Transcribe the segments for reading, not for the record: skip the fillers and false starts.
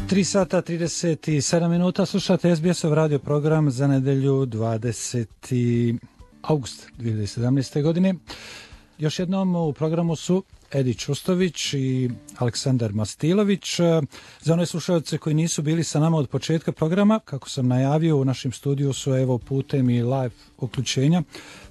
3 sata 37 minuta, slušate SBS-ov radio program za nedelju 20. august 2017. godine. Još jednom u programu su Edi Čustović i Aleksandar Mastilović. Za one slušalce koji nisu bili sa nama od početka programa, kako sam najavio, u našem studiju su evo putem i live uključenja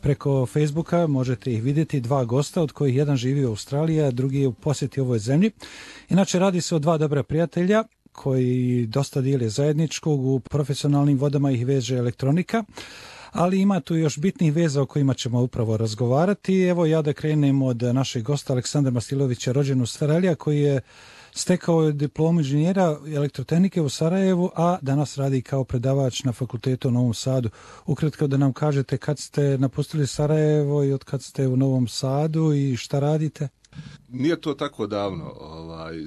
preko Facebooka. Možete ih vidjeti, dva gosta, od kojih jedan živi u Australiji, a drugi je u posjeti ovoj zemlji. Inače, radi se o dva dobra prijatelja koji dosta dijele zajedničkog, u profesionalnim vodama ih veže elektronika, ali ima tu još bitnih veza o kojima ćemo upravo razgovarati. Evo ja da krenem od našeg gosta Aleksandra Mastilovića, rođen u Australiji, koji je stekao diplomu inženjera elektrotehnike u Sarajevu, a danas radi kao predavač na fakultetu u Novom Sadu. Ukratko da nam kažete kad ste napustili Sarajevo i od kad ste u Novom Sadu i šta radite? Nije to tako davno.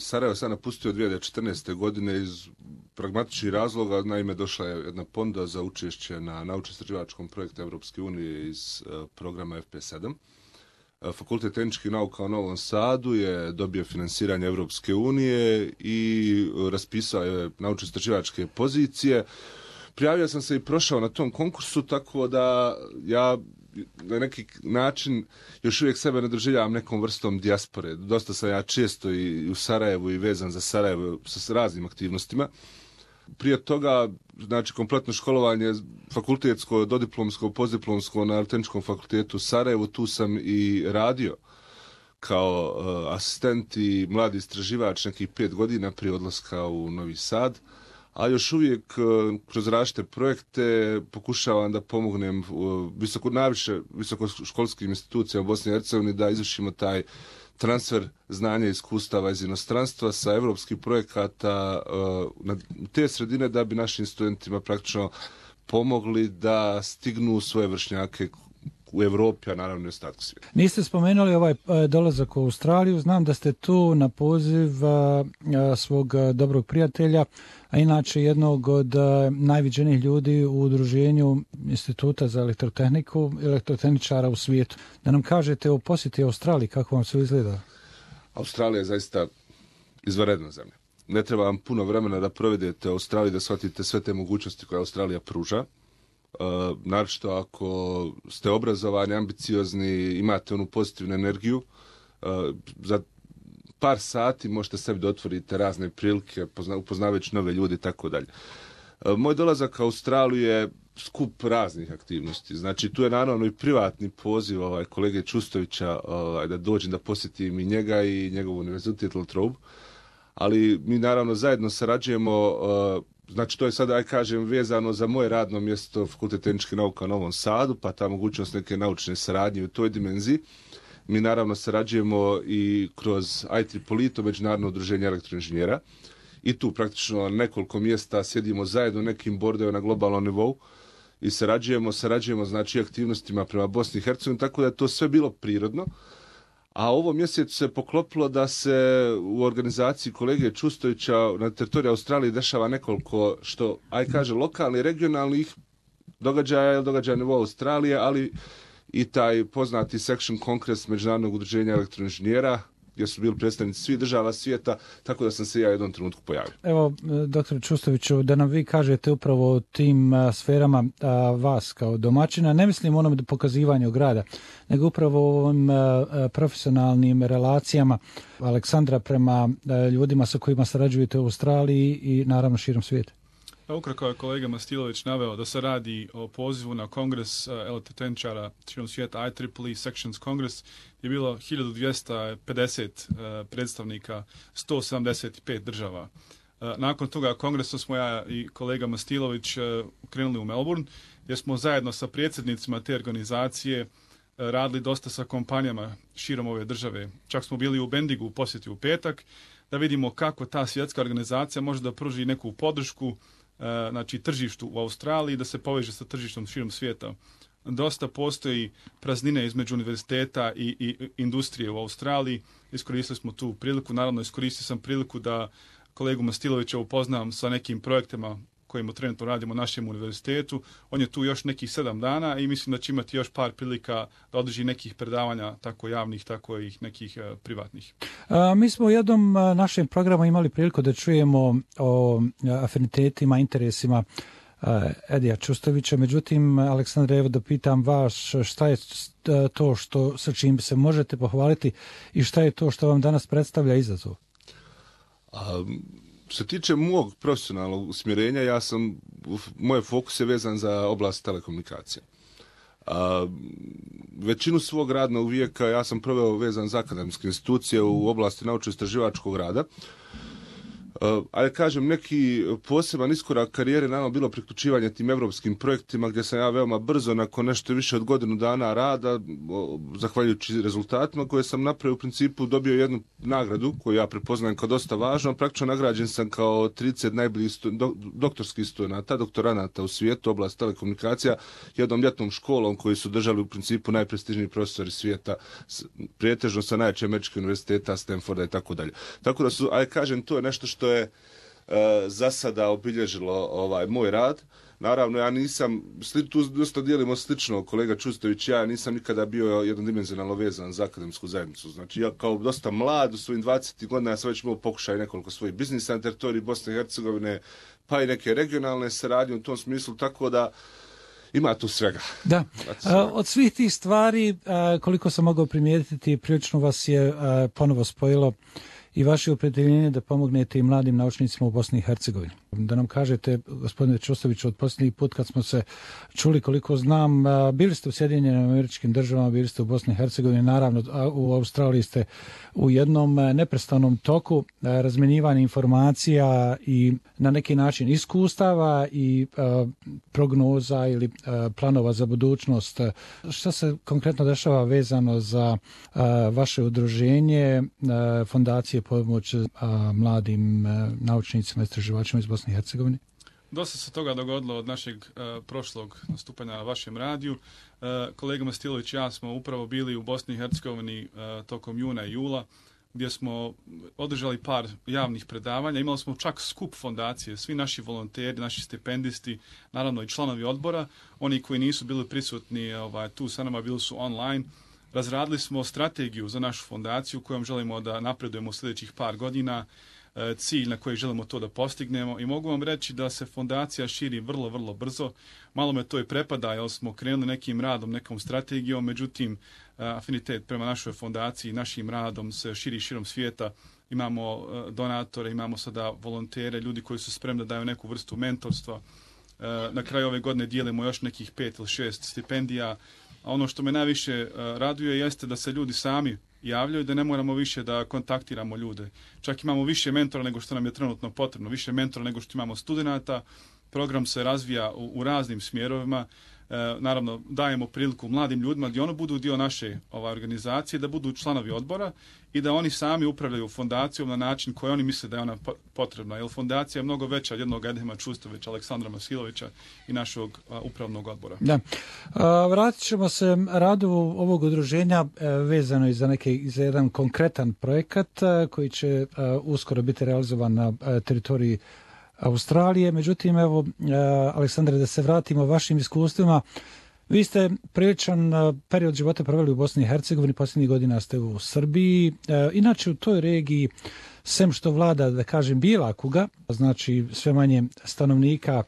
Sarajevo sam napustio 2014. godine iz pragmatičnih razloga. Naime, došla je jedna ponuda za učešće na naučno-istraživačkom projektu Evropske unije iz programa FP7. Fakultet tehničkih nauka u Novom Sadu je dobio finansiranje Evropske unije i raspisao je naučno-istraživačke pozicije. Prijavio sam se i prošao na tom konkursu, tako da ja na neki način još uvijek sebe ne doživljavam nekom vrstom dijaspore. Dosta sam ja često i u Sarajevu i vezan za Sarajevo sa raznim aktivnostima. Prije toga, znači, kompletno školovanje fakultetsko, dodiplomsko, postdiplomsko na Tehničkom fakultetu u Sarajevu, tu sam i radio kao asistent i mladi istraživač nekih 5 godina prije odlaska u Novi Sad. A još uvijek kroz različite projekte pokušavam da pomognem najviše visokoškolskim institucijama u Bosni i Hercegovini da izvršimo taj transfer znanja i iskustava iz inostranstva sa evropskih projekata na te sredine da bi našim studentima praktično pomogli da stignu svoje vršnjake u Evropi, a naravno i ostatku svijeta. Niste spomenuli ovaj dolazak u Australiju, znam da ste tu na poziv svog dobrog prijatelja, a inače jednog od najviđenijih ljudi u udruženju Instituta za elektrotehniku, elektrotehničara u svijetu. Da nam kažete o posjeti Australiji, kako vam se izgleda? Australija je zaista izvanredna zemlja. Ne treba vam puno vremena da provedete u Australiji, da shvatite sve te mogućnosti koje Australija pruža. Naročito ako ste obrazovani, ambiciozni, imate onu pozitivnu energiju, za par sati možete sebi da otvorite razne prilike, upoznavajući nove ljudi i tako dalje. Moj dolazak u Australiju je skup raznih aktivnosti. Znači, tu je naravno i privatni poziv kolege Čustovića da dođem da posjetim i njega i njegov univerzitet La Trobe, ali mi naravno zajedno sarađujemo. Znači, to je sada, vezano za moje radno mjesto Fakultet tehničkih nauka u Novom Sadu, pa ta mogućnost neke naučne saradnje u toj dimenziji. Mi naravno sarađujemo i kroz IEEE, to Međunarodno udruženje elektroinženjera. I tu praktično nekoliko mjesta sjedimo zajedno nekim bordovima na globalnom nivou i sarađujemo znači aktivnostima prema Bosni i Hercegovini, tako da je to sve bilo prirodno. A ovo mjesecu se poklopilo da se u organizaciji kolege Čustovića na teritoriju Australije dešava nekoliko, lokalnih, regionalnih događaja na nivou Australije, ali i taj poznati Section Kongres Međunarodnog udruženja elektroinženjera, gdje su bili predstavnici svih država svijeta, tako da sam se ja u jednom trenutku pojavio. Evo, dr. Čustoviću, da nam vi kažete upravo o tim sferama vas kao domaćina, ne mislim o onom pokazivanju grada, nego upravo o ovim profesionalnim relacijama Aleksandra prema ljudima sa kojima sarađujete u Australiji i naravno širom svijeta. Ukratko je kolega Mastilović naveo da se radi o pozivu na kongres elektrotehničara širom svijeta, IEEE Sections Congress, je bilo 1250 predstavnika 175 država. Nakon toga kongresa smo ja i kolega Mastilović krenuli u Melbourne, gdje smo zajedno sa predsjednicima te organizacije radili dosta sa kompanijama širom ove države. Čak smo bili u Bendigu u posjeti u petak, da vidimo kako ta svjetska organizacija može da pruži neku podršku znači tržištu u Australiji, da se poveže sa tržištom širom svijeta. Dosta postoji praznine između univerziteta i industrije u Australiji. Iskoristili smo tu priliku. Naravno, iskoristio sam priliku da kolegu Mastilovića upoznam sa nekim projektima kojemu trenutno radimo u našem univerzitetu. On je tu još nekih 7 dana i mislim da će imati još par prilika da održi nekih predavanja, tako javnih, tako i nekih privatnih. Mi smo u jednom našem programu imali priliku da čujemo o afinitetima, interesima Edija Čustovića. Međutim, Aleksandre, evo da pitam vas, šta je to sa čim se možete pohvaliti i šta je to što vam danas predstavlja izazov? Što se tiče mog profesionalnog usmjerenja, moj fokus je vezan za oblast telekomunikacija. Većinu svog radnog vijeka ja sam proveo vezan za akademske institucije u oblasti naučno-istraživačkog rada. Ali kažem, neki poseban iskorak karijere naravno bilo priključivanje tim evropskim projektima gdje sam ja veoma brzo, nakon nešto više od godinu dana rada, zahvaljujući rezultatima koje sam napravio, u principu dobio jednu nagradu koju ja prepoznajem kao dosta važno. Praktično nagrađen sam kao 30 najboljih doktorskih studenata, doktoranata u svijetu, oblast telekomunikacija, jednom ljetnom školom koju su držali u principu najprestižniji profesori svijeta, pretežno sa najjačih američkih univerziteta, Stanforda i tako dalje. Tako da ali kažem, to je nešto što je za sada obilježilo moj rad. Naravno, ja nisam, tu dosta dijelimo slično, kolega Čustović, ja nisam nikada bio jednodimenzionalno vezan za akademsku zajednicu. Znači, ja kao dosta mlad, u svojim 20 godina, ja sam već imao pokušaj nekoliko svojih biznisa na teritoriji Bosne i Hercegovine, pa i neke regionalne saradnje u tom smislu, tako da ima tu svega. Da. Od svih tih stvari, koliko sam mogao primijetiti, prilično vas je ponovo spojilo i vaše opredjeljenje da pomognete i mladim naučnicima u Bosni i Hercegovini. Da nam kažete, gospodine Čustoviću, od posljednji put kad smo se čuli, koliko znam, bili ste u Sjedinjenim Američkim Državama, bili ste u Bosni i Hercegovini, naravno u Australiji ste u jednom neprestanom toku razmjenjivanja informacija i na neki način iskustava i prognoza ili planova za budućnost. Šta se konkretno dešava vezano za vaše udruženje, fondacije pomoć mladim naučnicima i istraživačima iz Bosne i Hercegovine? Dosta se toga dogodilo od našeg prošlog nastupanja na vašem radiju. Kolega Mastilović i ja smo upravo bili u Bosni i Hercegovini tokom juna i jula, gdje smo održali par javnih predavanja. Imali smo čak skup fondacije, svi naši volonteri, naši stipendisti, naravno i članovi odbora. Oni koji nisu bili prisutni tu sa nama, bili su online. Razradili smo strategiju za našu fondaciju kojom želimo da napredujemo u sljedećih par godina, cilj na koji želimo to da postignemo i mogu vam reći da se fondacija širi vrlo, vrlo brzo. Malo me to i prepada jer smo krenuli nekim radom, nekom strategijom, međutim afinitet prema našoj fondaciji, našim radom se širi širom svijeta. Imamo donatore, imamo sada volontere, ljudi koji su spremni da daju neku vrstu mentorstva. Na kraju ove godine dijelimo još nekih 5 ili 6 stipendija. A ono što me najviše raduje jeste da se ljudi sami javljaju, da ne moramo više da kontaktiramo ljude. Čak imamo više mentora nego što nam je trenutno potrebno, više mentora nego što imamo studenata. Program se razvija u raznim smjerovima. Naravno, dajemo priliku mladim ljudima da oni budu dio naše organizacije, da budu članovi odbora i da oni sami upravljaju fondacijom na način koji oni misle da je ona potrebna. Jer fondacija je mnogo veća od jednog Edema Čustovića, Aleksandra Masilovića i našeg upravnog odbora. Da. Vratit ćemo se radu ovog udruženja vezano i za jedan konkretan projekat koji će uskoro biti realizovan na teritoriji Australije. Međutim, evo, Aleksandre, da se vratimo vašim iskustvima. Vi ste priličan period života proveli u Bosni i Hercegovini, posljednjih godina ste u Srbiji. Inače, u toj regiji, sem što vlada, da kažem, bijela kuga, znači sve manje stanovnika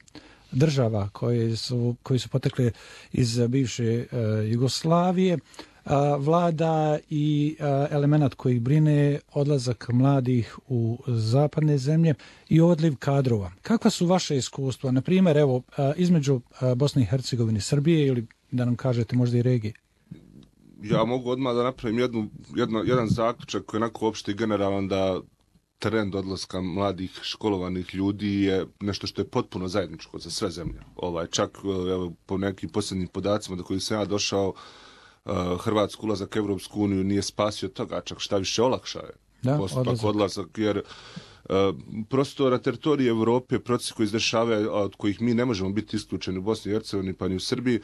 država koji su potekle iz bivše Jugoslavije, vlada i element koji brine odlazak mladih u zapadne zemlje i odliv kadrova. Kakva su vaše iskustva, na primjer, evo, između Bosne i Hercegovine i Srbije ili da nam kažete možda i regije? Ja mogu odmah da napravim jedan zaključak koji je onako opšti i generalan, da trend odlaska mladih školovanih ljudi je nešto što je potpuno zajedničko za sve zemlje. Čak evo, po nekim posljednjim podacima do kojih sam ja došao, Hrvatsku ulazak u Evropsku uniju nije spasio toga, čak šta više olakšao je postupak odlazak, jer prosto na teritoriji Evrope procesi koji izdešavaju, od kojih mi ne možemo biti isključeni u Bosni i Hercegovini pa ni u Srbiji,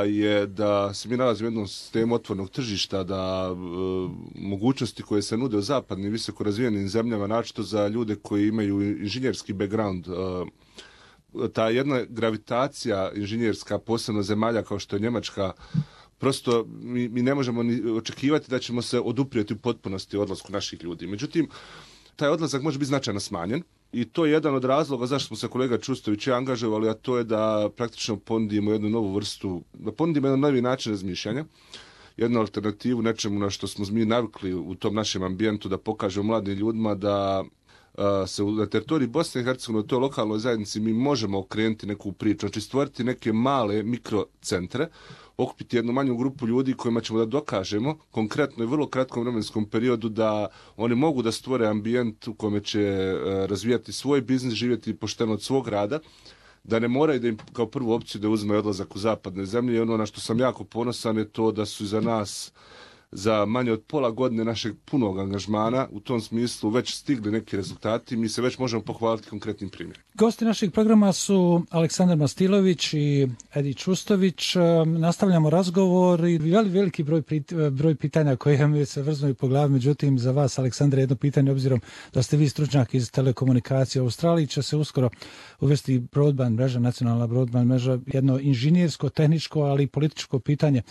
je da se mi nalazimo u jednom sistemu otvornog tržišta, da mogućnosti koje se nude u zapadnim visoko razvijenim zemljama, naročito za ljude koji imaju inženjerski background, ta jedna gravitacija inženjerska, posebno zemalja kao što je Njemačka, prosto mi ne možemo ni očekivati da ćemo se oduprijeti u potpunosti odlasku naših ljudi. Međutim, taj odlazak može biti značajno smanjen i to je jedan od razloga zašto smo se kolega Čustović i angažovali, a to je da praktično ponudimo jednu novu vrstu, da ponudimo jedan novi način razmišljanja, jednu alternativu nečemu na što smo mi navikli u tom našem ambijentu, da pokažemo mladim ljudima da se na teritoriji Bosne i Hercegovine, u toj lokalnoj zajednici mi možemo okrenuti neku priču, znači stvoriti neke male mikrocentre, okupiti jednu manju grupu ljudi kojima ćemo da dokažemo konkretno i vrlo kratkom vremenskom periodu da oni mogu da stvore ambijent u kome će razvijati svoj biznis, živjeti pošteno od svog rada, da ne moraju da im kao prvu opciju da uzme odlazak u zapadne zemlje. I ono na što sam jako ponosan je to da su za nas za manje od pola godine našeg punog angažmana u tom smislu već stigli neki rezultati. Mi se već možemo pohvaliti konkretnim primjerima. Gosti našeg programa su Aleksandar Mastilović i Edi Čustović. Nastavljamo razgovor i veliki broj pitanja koje mi se vrznuju po glavi. Međutim, za vas, Aleksandre, jedno pitanje, obzirom da ste vi stručnjak iz telekomunikacije u Australiji, će se uskoro uvesti broadband mreža, nacionalna broadband mreža, jedno inženjersko, tehničko, ali i političko pitanje.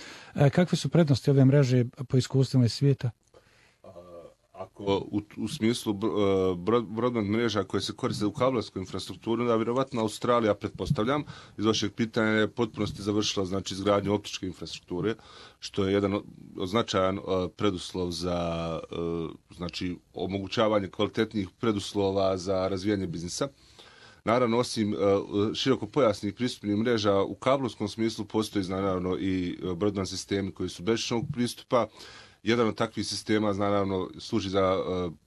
Kakve su prednosti ove mreže po iskustvima iz svijeta? Ako u smislu broadband mreža koje se koriste u kablovsku infrastrukturu, da vjerovatno Australija, pretpostavljam, iz vašeg pitanja je potpunosti završila znači izgradnju optičke infrastrukture, što je jedan značajan preduslov za znači omogućavanje kvalitetnih preduslova za razvijanje biznisa. Naravno, osim širokopojasnih pristupnih mreža, u kablovskom smislu postoji naravno i broadband sistemi koji su bežičnog pristupa. Jedan od takvih sistema naravno služi za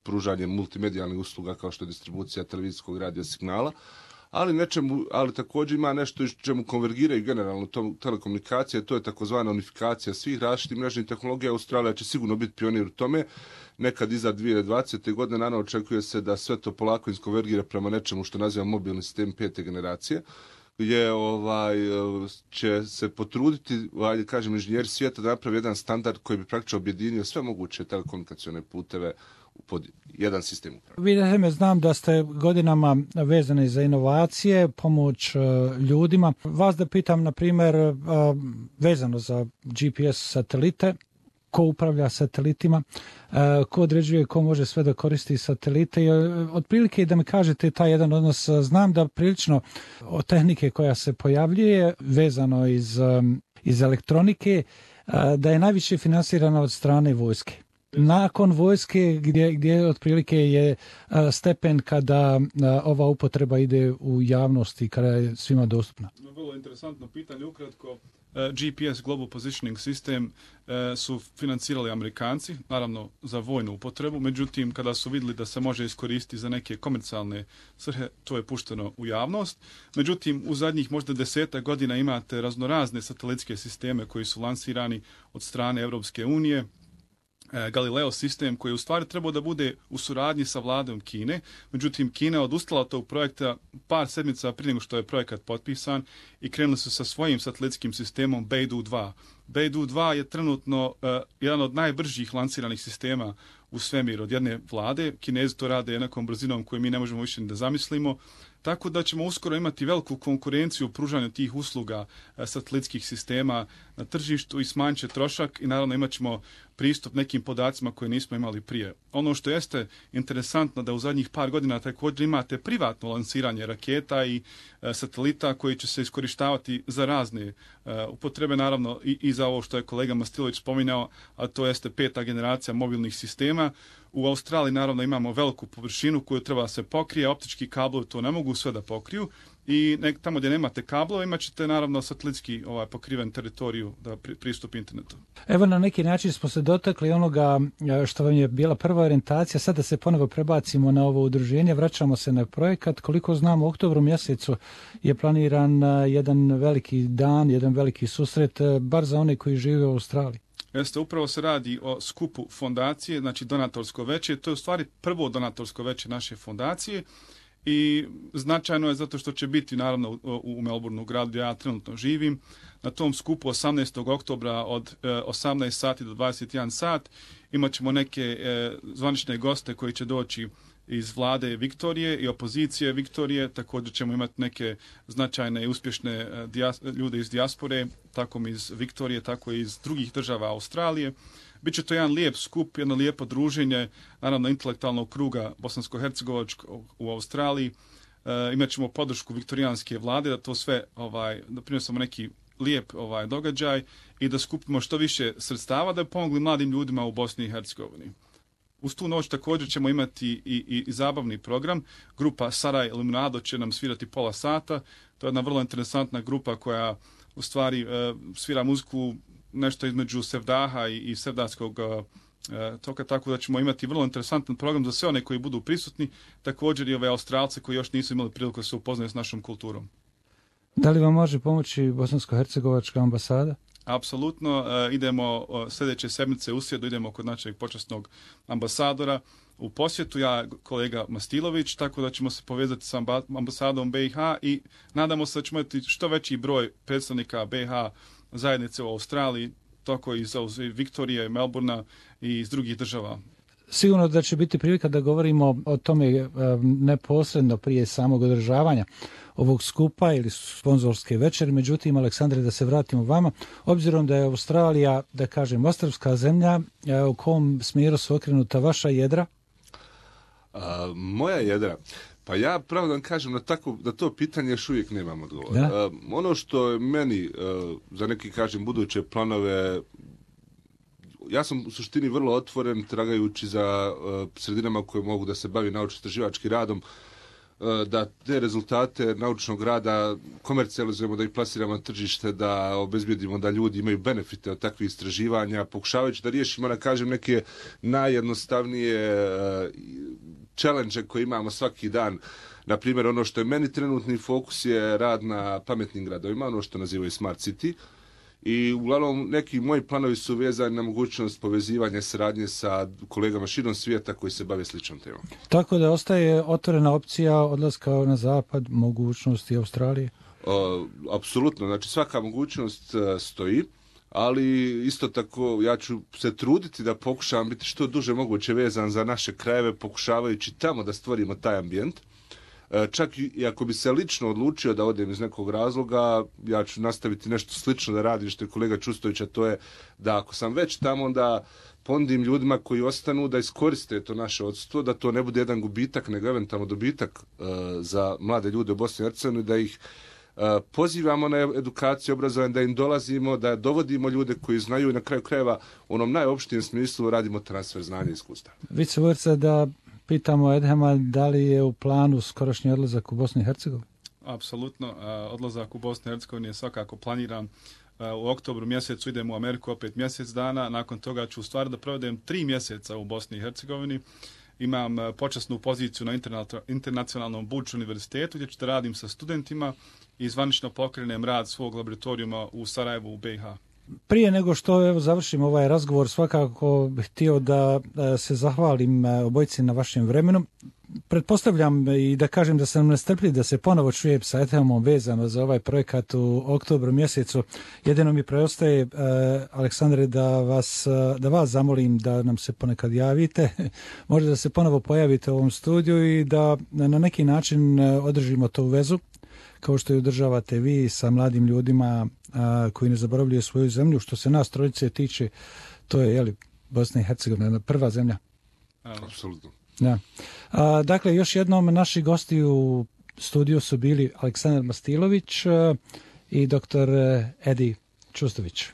pružanje multimedijalnih usluga kao što je distribucija televizijskog radija signala, ali također ima nešto čemu konvergiraju generalno telekomunikacije, to je takozvana unifikacija svih različitih mrežnih tehnologija. Australija će sigurno biti pionir u tome. Nekad iza 2020. godine naravno očekuje se da sve to polako iskonvergira prema nečemu što naziva mobilni sistem 5. generacije, gdje će se potruditi, kažem, inženjeri svijeta da napravi jedan standard koji bi praktično objedinio sve moguće telekomunikacione puteve pod jedan sistem uprave. Vidite, znam da ste godinama vezani za inovacije, pomoć ljudima. Vas da pitam, na primjer, vezano za GPS satelite, ko upravlja satelitima, ko određuje ko može sve da koristi satelite. I otprilike da mi kažete taj jedan odnos, znam da prilično od tehnike koja se pojavljuje vezano iz elektronike, da je najviše finansirana od strane vojske. Nakon vojske gdje otprilike je stepen kada ova upotreba ide u javnost i kada je svima dostupna. Vrlo interesantno pitanje, ukratko. GPS, Global Positioning System, su financirali Amerikanci, naravno za vojnu upotrebu, međutim kada su vidjeli da se može iskoristiti za neke komercijalne svrhe, to je pušteno u javnost. Međutim, u zadnjih možda 10 godina imate raznorazne satelitske sisteme koji su lansirani od strane Europske unije, Galileo sistem koji je u stvari trebao da bude u suradnji sa vladom Kine, međutim Kina je odustala od tog projekta par sedmica prije nego što je projekat potpisan i krenuli su sa svojim satelitskim sistemom Beidou 2. Beidou 2 je trenutno jedan od najbržih lansiranih sistema u svemir od jedne vlade. Kinezi to rade jednakom brzinom koju mi ne možemo više da zamislimo. Tako da ćemo uskoro imati veliku konkurenciju u pružanju tih usluga satelitskih sistema na tržištu i smanjit će trošak i naravno imat ćemo pristup nekim podacima koje nismo imali prije. Ono što jeste interesantno da u zadnjih par godina također imate privatno lansiranje raketa i satelita koji će se iskorištavati za razne upotrebe, naravno i za ovo što je kolega Mastilović spominjao, a to jeste 5. generacija mobilnih sistema. U Australiji naravno imamo veliku površinu koju treba se pokrije, optički kablovi to ne mogu sve da pokriju i tamo gdje nemate kablova imat ćete naravno satelitski pokriven teritoriju da pristup internetu. Evo, na neki način smo se dotakli onoga što vam je bila prva orijentacija, sada se ponovo prebacimo na ovo udruženje, vraćamo se na projekat. Koliko znam, u oktobru mjesecu je planiran jedan veliki dan, jedan veliki susret, bar za one koji žive u Australiji. Jeste, upravo se radi o skupu fondacije, znači donatorsko veće. To je u stvari prvo donatorsko veće naše fondacije i značajno je zato što će biti naravno u Melbourneu, gradu gdje ja trenutno živim. Na tom skupu 18. oktobra od 18 sati do 21 sat imat ćemo neke zvanične goste koji će doći iz vlade Viktorije i opozicije Viktorije. Također ćemo imati neke značajne i uspješne ljude iz dijaspore, tako iz Viktorije, tako i iz drugih država Australije. Biće to jedan lijep skup, jedno lijepo druženje, naravno intelektualnog kruga bosansko-hercegovačkog u Australiji. Imat ćemo podršku viktorijanske vlade da to sve da prinesemo neki lijep događaj i da skupimo što više sredstava da bi pomogli mladim ljudima u Bosni i Hercegovini. Uz tu noć također ćemo imati i zabavni program. Grupa Saraj Iluminado će nam svirati pola sata. To je jedna vrlo interesantna grupa koja u stvari svira muziku nešto između sevdaha i sevdaskog toka, tako da ćemo imati vrlo interesantan program za sve one koji budu prisutni, također i ove Australce koji još nisu imali priliku da se upoznaju s našom kulturom. Da li vam može pomoći Bosansko-hercegovačka ambasada? Apsolutno. Idemo sljedeće sedmice u srijedu, idemo kod našeg počasnog ambasadora u posjetu, ja kolega Mastilović, tako da ćemo se povezati sa ambasadom BiH i nadamo se da ćemo imati što veći broj predstavnika BiH zajednice u Australiji, tako i iz Viktorije, Melbourna i iz drugih država. Sigurno da će biti prilika da govorimo o tome neposredno prije samog održavanja ovog skupa ili sponzorske večeri. Međutim, Aleksandre, da se vratimo vama, obzirom da je Australija, da kažem, ostrvska zemlja, u kom smjeru su okrenuta vaša jedra? Moja jedra? Pa ja pravo da vam kažem na to pitanje još uvijek nemam odgovora. Ono što je meni, za neki kažem buduće planove, ja sam u suštini vrlo otvoren tragajući za sredinama koje mogu da se bavi naučno-istraživačkim radom, da te rezultate naučnog rada komercijalizujemo, da ih plasiramo na tržište, da obezbijedimo da ljudi imaju benefite od takvih istraživanja, pokušavajući da riješimo, da kažem, neke najjednostavnije challenge koje imamo svaki dan. Na primjer, ono što je meni trenutni fokus je rad na pametnim gradovima, ono što nazivaju Smart City. I uglavnom neki moji planovi su vezani na mogućnost povezivanja saradnje sa kolegama širom svijeta koji se bave sličnom temom. Tako da ostaje otvorena opcija odlaska na zapad, mogućnosti Australije? Apsolutno, znači svaka mogućnost stoji, ali isto tako ja ću se truditi da pokušavam biti što duže moguće vezan za naše krajeve, pokušavajući tamo da stvorimo taj ambijent. Čak i ako bi se lično odlučio da odem iz nekog razloga, ja ću nastaviti nešto slično da radim što je kolega Čustović, a to je da ako sam već tamo, da ponudim ljudima koji ostanu da iskoriste to naše odsustvo, da to ne bude jedan gubitak, nego eventualno dobitak za mlade ljude u Bosni i Hercegovini, da ih pozivamo na edukaciju, obrazovanje, da im dolazimo, da dovodimo ljude koji znaju i na kraju krajeva u onom najopštijem smislu radimo transfer znanja i iskustva. Vicevorca, da pitamo Edhema, da li je u planu skorašnji odlazak u Bosnu i Hercegovini? Apsolutno. Odlazak u Bosnu i Hercegovini je svakako planiran. U oktobru mjesecu idem u Ameriku opet mjesec dana. Nakon toga ću u stvari da provedem 3 mjeseca u Bosni i Hercegovini. Imam počasnu poziciju na internacionalnom Buč univerzitetu gdje ću da radim sa studentima i zvanično pokrenem rad svog laboratorijuma u Sarajevu u BiH. Prije nego što završim ovaj razgovor, svakako bih htio da se zahvalim obojici na vašem vremenu. Pretpostavljam i da kažem da sam nestrpljiv da se ponovo čujem sa Edhemom vezano za ovaj projekat u oktobru mjesecu. Jedino mi preostaje, Aleksandre, da vas zamolim da nam se ponekad javite, možda da se ponovo pojavite u ovom studiju i da na neki način održimo tu vezu, kao što je održavate vi sa mladim ljudima koji ne zaboravljaju svoju zemlju. Što se nas trojice tiče, to je Bosna i Hercegovina, prva zemlja. Apsolutno. Da. Dakle, još jednom naši gosti u studiju su bili Aleksandar Mastilović i dr. Edi Čustović.